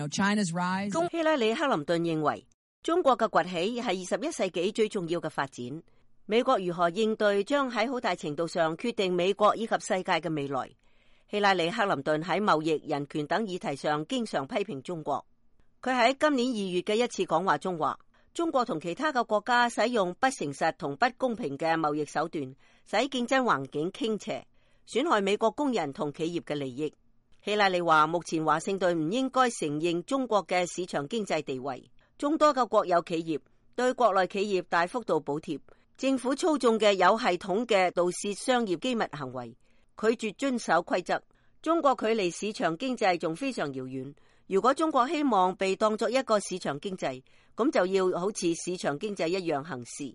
China's rise。希拉里·克林頓認為，中國嘅崛起係21世紀最重要嘅發展。美國如何應對，將喺好大程度上決定美國以及世界嘅未來。希拉里·克林頓喺貿易、人權等議題上經常批評中國。佢喺今年2月嘅一次講話中話，中國同其他嘅國家使用不誠實同不公平嘅貿易手段，使競爭環境傾斜，損害美國工人同企業嘅利益。希拉里話，目前華盛頓唔應該承認中國嘅市場經濟地位。眾多嘅國有企業對國內企業大幅度補貼，政府操縱嘅有系統嘅盜竊商業機密行為，拒絕遵守規則。中國距離市場經濟仲非常遙遠。如果中國希望被當作一個市場經濟，咁就要好似市場經濟一樣行事。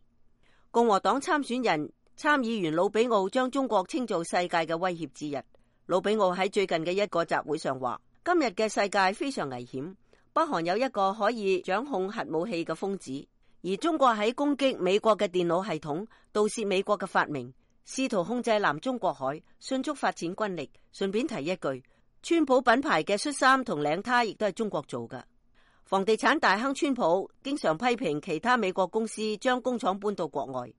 共和黨參議員魯比奧將中國稱做世界嘅威脅之一。魯比奧喺最近嘅一個集會上話，今日嘅世界非常危險，北韓有一個可以掌控核武器嘅瘋子，而中國喺攻擊美國嘅電腦系統，盜竊美國嘅發明，試圖控制南中國海，迅速發展軍力。順便提一句，川普品牌嘅恤衫同領呔亦都係中國做㗎。房地產大亨川普經常批評其他美國公司將工廠搬到國外，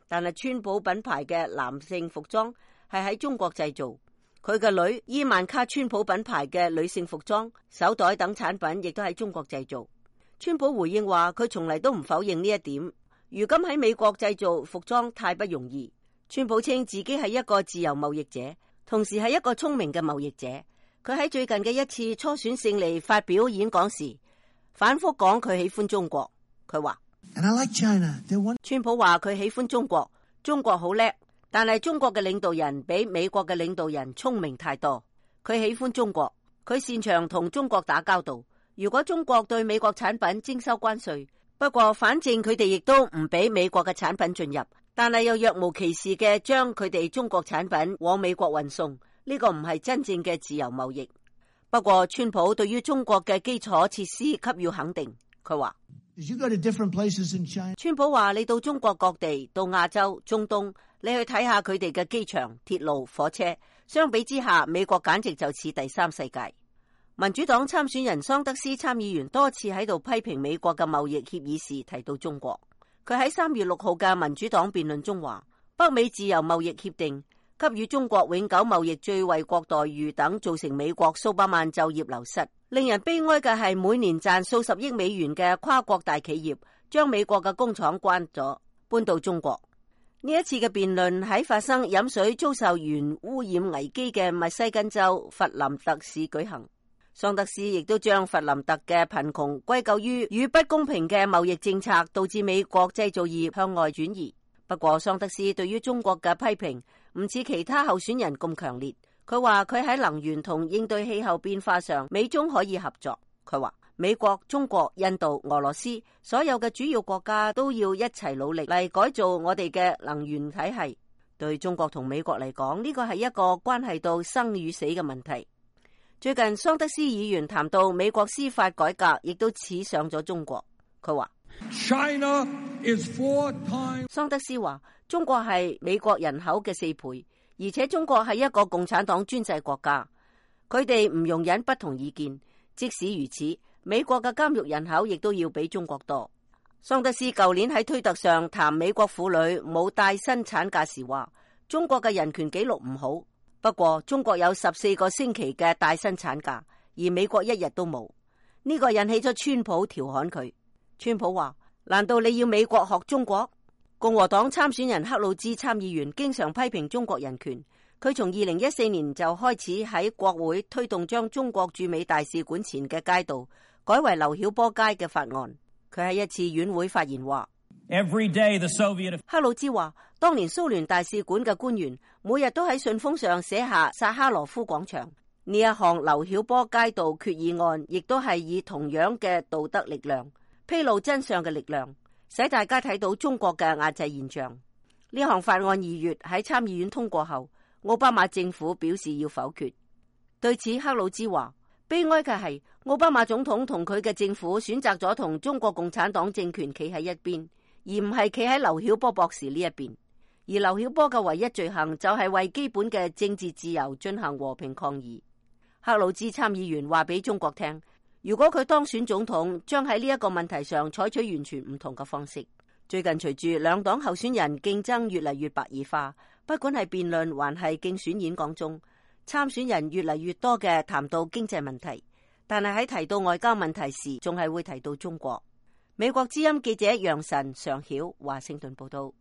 但係川普品牌嘅男性服裝係喺中國製造。佢嘅女伊萬卡川普品牌嘅女性服裝、手袋等產品亦都喺中國製造。川普回應話，佢從嚟都唔否認呢一點。如今喺美國製造服裝太不容易。川普稱自己係一個自由貿易者，同時係一個聰明嘅貿易者。佢喺最近嘅一次初選勝利發表演講時，反覆講佢喜歡中國。佢話，川普話佢喜歡中國，中國好叻。但係中國嘅領導人比美國嘅領導人聰明太多。佢喜歡中國，佢擅長同中國打交道。如果中國對美國產品徵收關稅，不過反正佢哋亦都唔俾美國嘅產品進入，但係又若無其事嘅將佢哋中國產品往美國運送，呢個唔係真正嘅自由貿易。不過川普對於中國嘅基礎設施給予肯定。佢話，川普話，你到中國各地，到亞洲、中東，你去睇下佢哋嘅機場、鐵路、火車，相比之下，美國簡直就似第三世界。民主黨參選人桑德斯參議員多次喺度批評美國嘅貿易協議時提到中國。佢喺3月6號嘅民主黨辯論中話，北美自由貿易協定給予中國永久貿易最惠國待遇等，造成美國數百萬就業流失。令人悲哀嘅係，每年賺數十億美元嘅跨國大企業將美國嘅工廠關咗，搬到中國。呢一次嘅辯論喺發生飲水遭受鉛污染危機嘅密西根州弗林特市舉行。桑德斯亦都將弗林特嘅貧窮歸咎於與不公平嘅貿易政策導致美國製造業向外轉移。不過桑德斯對於中國嘅批評唔似其他候選人咁強烈。佢話佢喺能源同應對氣候變化上，美中可以合作。佢話美國、中國、印度、俄羅斯所有嘅主要國家都要一齊努力嚟改造我哋嘅能源體系。對中國同美國嚟講，呢個係一個關係到生與死嘅問題。最近桑德斯議員談到美國司法改革，亦都似上咗中國。佢話桑德斯話中國係美國人口嘅4倍。而且中國係一個共產黨專制國家，佢哋唔容忍不同意見。即使如此，美國嘅監獄人口亦都要比中國多。桑德斯舊年喺推特上談美國婦女冇帶薪產假時話，中國嘅人權紀錄唔好。不過中國有14個星期嘅帶薪產假，而美國1日都冇。呢個引起咗川普調侃佢。川普話，難道你要美國學中國？共和黨參選人克魯茲參議員經常批評中國人權。佢從2014年就開始喺國會推動將中國駐美大使館前嘅街道改為劉曉波街嘅法案。佢喺一次院會發言話，克魯茲話，當年蘇聯大使館嘅官員每日都喺信封上寫下薩哈羅夫廣場。呢一項劉曉波街道決議案亦都係以同樣嘅道德力量、披露真相嘅力量，使大家睇到中國嘅壓制現象。呢項法案2月喺參議院通過後，奧巴馬政府表示要否決。對此，克魯茲話，悲哀嘅係奧巴馬總統同佢嘅政府選擇咗同中國共產黨政權企喺一邊，而唔係企喺劉曉波博士呢一邊。而劉曉波嘅唯一罪行就係為基本嘅政治自由進行和平抗議。克魯茲參議員話俾中國聽，如果佢當選總統，將喺呢一個問題上採取完全唔同嘅方式。最近隨住兩黨候選人競爭越嚟越白熱化，不管係辯論還係競選演講中，參選人越嚟越多嘅談到經濟問題，但係喺提到外交問題時，仲係會提到中國。美國之音記者楊晨、常曉華盛頓報道。